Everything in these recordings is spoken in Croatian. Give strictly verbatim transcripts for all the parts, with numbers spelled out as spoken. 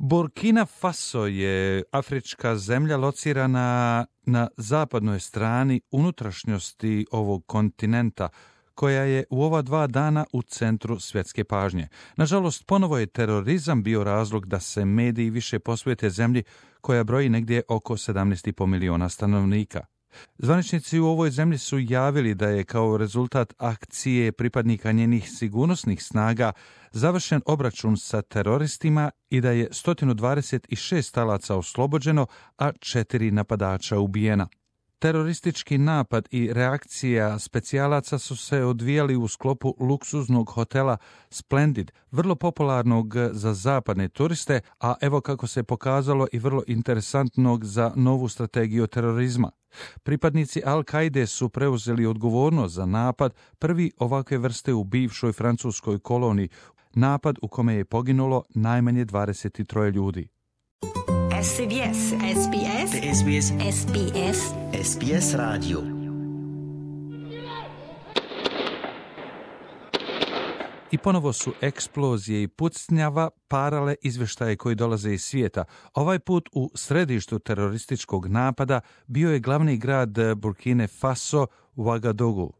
Burkina Faso je afrička zemlja locirana na zapadnoj strani unutrašnjosti ovog kontinenta, koja je u ova dva dana u centru svjetske pažnje. Nažalost, ponovo je terorizam bio razlog da se mediji više posvete zemlji koja broji negdje oko sedamnaest i pol miliona stanovnika. Zvaničnici u ovoj zemlji su javili da je kao rezultat akcije pripadnika njenih sigurnosnih snaga završen obračun sa teroristima i da je sto dvadeset šest talaca oslobođeno, a četiri napadača ubijena. Teroristički napad i reakcija specijalaca su se odvijali u sklopu luksuznog hotela Splendid, vrlo popularnog za zapadne turiste, a evo kako se pokazalo i vrlo interesantnog za novu strategiju terorizma. Pripadnici Al-Kaide su preuzeli odgovornost za napad, prvi ovakve vrste u bivšoj francuskoj koloniji, napad u kome je poginulo najmanje dvadeset tri ljudi. S B S, S B S, S B S, S B S, S B S Radio. I ponovo su eksplozije i pucnjava parale izvještaje koji dolaze iz svijeta. Ovaj put u središtu terorističkog napada bio je glavni grad Burkine Faso, Ouagadougou.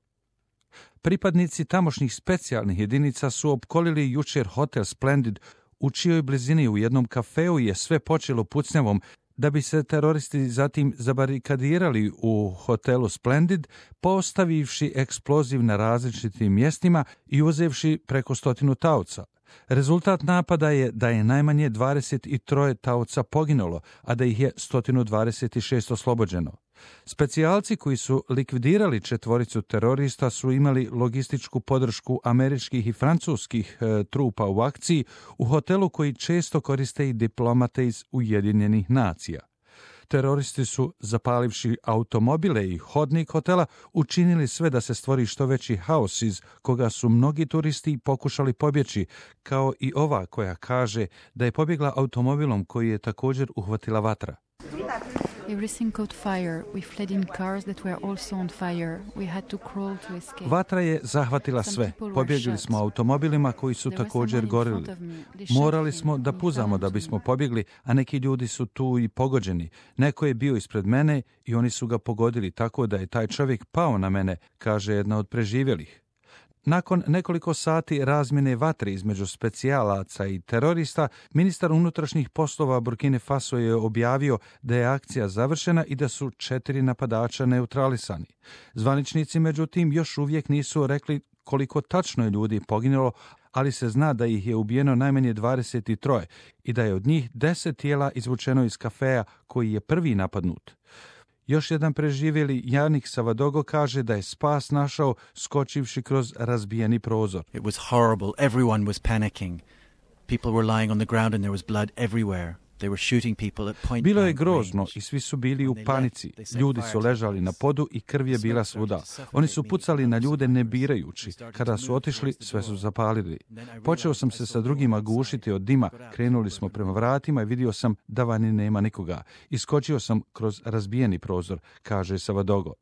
Pripadnici tamošnjih specijalnih jedinica su opkolili jučer hotel Splendid, u čijoj blizini u jednom kafeu je sve počelo pucnjavom, da bi se teroristi zatim zabarikadirali u hotelu Splendid, postavivši eksploziv na različitim mjestima i uzevši preko stotinu taoca. Rezultat napada je da je najmanje dvadeset tri taoca poginulo, a da ih je sto dvadeset šest oslobođeno. Specijalci koji su likvidirali četvoricu terorista su imali logističku podršku američkih i francuskih e, trupa u akciji u hotelu koji često koriste i diplomate iz Ujedinjenih nacija. Teroristi su, zapalivši automobile i hodnik hotela, učinili sve da se stvori što veći haos iz koga su mnogi turisti pokušali pobjeći, kao i ova koja kaže da je pobjegla automobilom koji je također uhvatila vatra. Everything caught fire. We fled in cars that were also on fire. We had to crawl to escape. Vatra je zahvatila sve. Pobjegli smo automobilima koji su također gorili. Morali smo da puzamo da bismo pobjegli, a neki ljudi su tu i pogođeni. Neko je bio ispred mene i oni su ga pogodili tako da je taj čovjek pao na mene, kaže jedna od preživjelih. Nakon nekoliko sati razmjene vatre između specijalaca i terorista, ministar unutrašnjih poslova Burkine Faso je objavio da je akcija završena i da su četiri napadača neutralisani. Zvaničnici, međutim, još uvijek nisu rekli koliko tačno je ljudi poginulo, ali se zna da ih je ubijeno najmanje dvadeset tri i da je od njih deset tijela izvučeno iz kafeja koji je prvi napadnut. Još jedan preživjeli, Janik Savadogo, kaže da je spas našao skočivši kroz razbijeni prozor. It was horrible. Everyone was panicking. People were lying on the ground and there was blood everywhere. They were shooting people at point Bilo je blank grozno range. i svi su bili u panici. Ljudi su ležali na podu i krv je bila svuda. Oni su pucali na ljude ne birajući. Kada su otišli, sve su zapalili. Počeo sam se sa drugima gušiti od dima. Krenuli smo prema vratima i vidio sam da vani nema nikoga. Iskočio sam kroz razbijeni prozor, kaže Savadogo.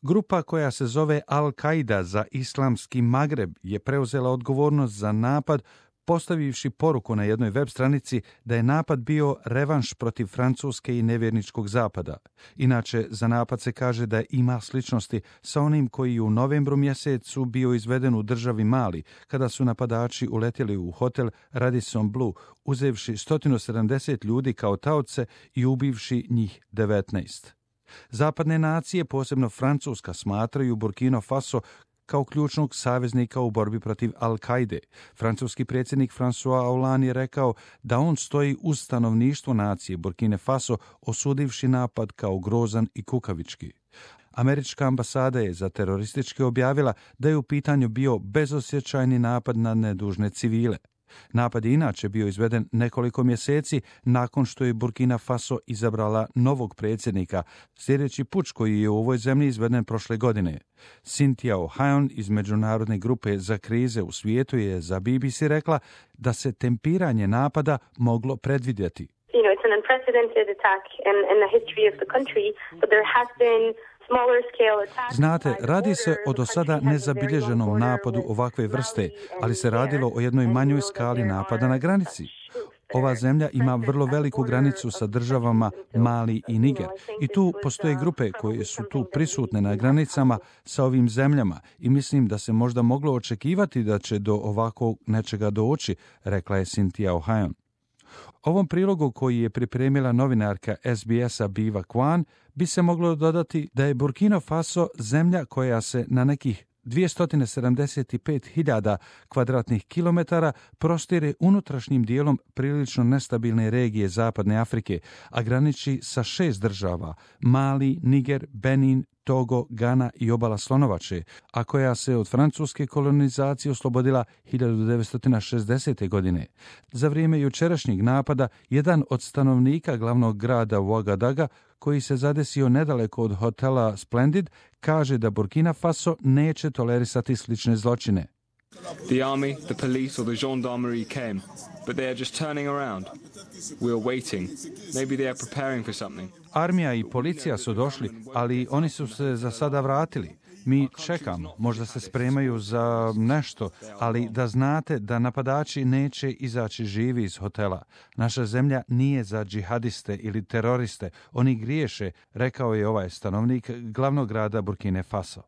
Grupa koja se zove Al-Qaida za islamski Magreb je preuzela odgovornost za napad, postavivši poruku na jednoj web stranici da je napad bio revanš protiv Francuske i nevjerničkog zapada. Inače, za napad se kaže da ima sličnosti sa onim koji u novembru mjesecu bio izveden u državi Mali, kada su napadači uletjeli u hotel Radisson Blu, uzevši sto sedamdeset ljudi kao taoce i ubivši njih devetnaest. Zapadne nacije, posebno Francuska, smatraju Burkina Faso kao ključnog saveznika u borbi protiv Al-Kaide. Francuski predsjednik François Hollande je rekao da on stoji uz stanovništvo nacije Burkine Faso, osudivši napad kao grozan i kukavički. Američka ambasada je za terorističke objavila da je u pitanju bio bezosjećajni napad na nedužne civile. Napad je inače bio izveden nekoliko mjeseci nakon što je Burkina Faso izabrala novog predsjednika, sljedeći puč koji je u ovoj zemlji izveden prošle godine. Cynthia O'Hayon iz Međunarodne grupe za krize u svijetu je za B B C rekla da se tempiranje napada moglo predvidjeti. You know, it's an unprecedented attack in, in the history of the country, but there has been Znate, radi se o do sada nezabilježenom napadu ovakve vrste, ali se radilo o jednoj manjoj skali napada na granici. Ova zemlja ima vrlo veliku granicu sa državama Mali i Niger i tu postoje grupe koje su tu prisutne na granicama sa ovim zemljama i mislim da se možda moglo očekivati da će do ovakvog nečega doći, rekla je Cynthia Ohayon. Ovom prilogu koji je pripremila novinarka S B S-a Biva Kwan bi se moglo dodati da je Burkina Faso zemlja koja se na nekih dvjesto sedamdeset pet hiljada kvadratnih kilometara prostire unutrašnjim dijelom prilično nestabilne regije Zapadne Afrike, a graniči sa šest država: Mali, Niger, Benin, Togo, Gana i obala Slonovače, a koja se od francuske kolonizacije oslobodila hiljadu devetsto šezdesete. godine. Za vrijeme jučerašnjeg napada, jedan od stanovnika glavnog grada Ouagadougou, koji se zadesio nedaleko od hotela Splendid, kaže da Burkina Faso neće tolerisati slične zločine. The army, the police or the gendarmerie came, but they are just turning around. We are waiting. Maybe they are preparing for something. Armija i policija su došli, ali oni su se za sada vratili. Mi čekamo, možda se spremaju za nešto, ali da znate da napadači neće izaći živi iz hotela. Naša zemlja nije za džihadiste ili teroriste, oni griješe, rekao je ovaj stanovnik glavnog grada Burkine Faso.